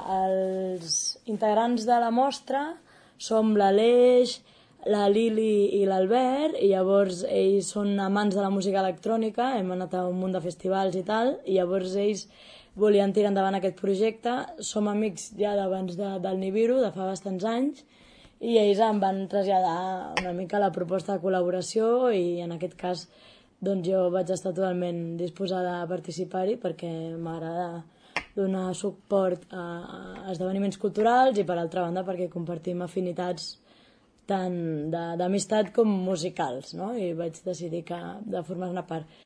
els integrants de la mostra som l'Aleix, la Lili i l'Albert, i llavors ells són amants de la música electrònica, hem anat a un munt de festivals i tal, i llavors ells volien tirar endavant aquest projecte. Som amics ja d'abans del Nibiru, de fa bastants anys, i ells em van traslladar una mica la proposta de col·laboració i en aquest cas doncs jo vaig estar totalment disposada a participar-hi perquè m'agrada donar suport a esdeveniments culturals i per altra banda perquè compartim afinitats tant d'amistat com musicals, no? I vaig decidir de formar-ne part.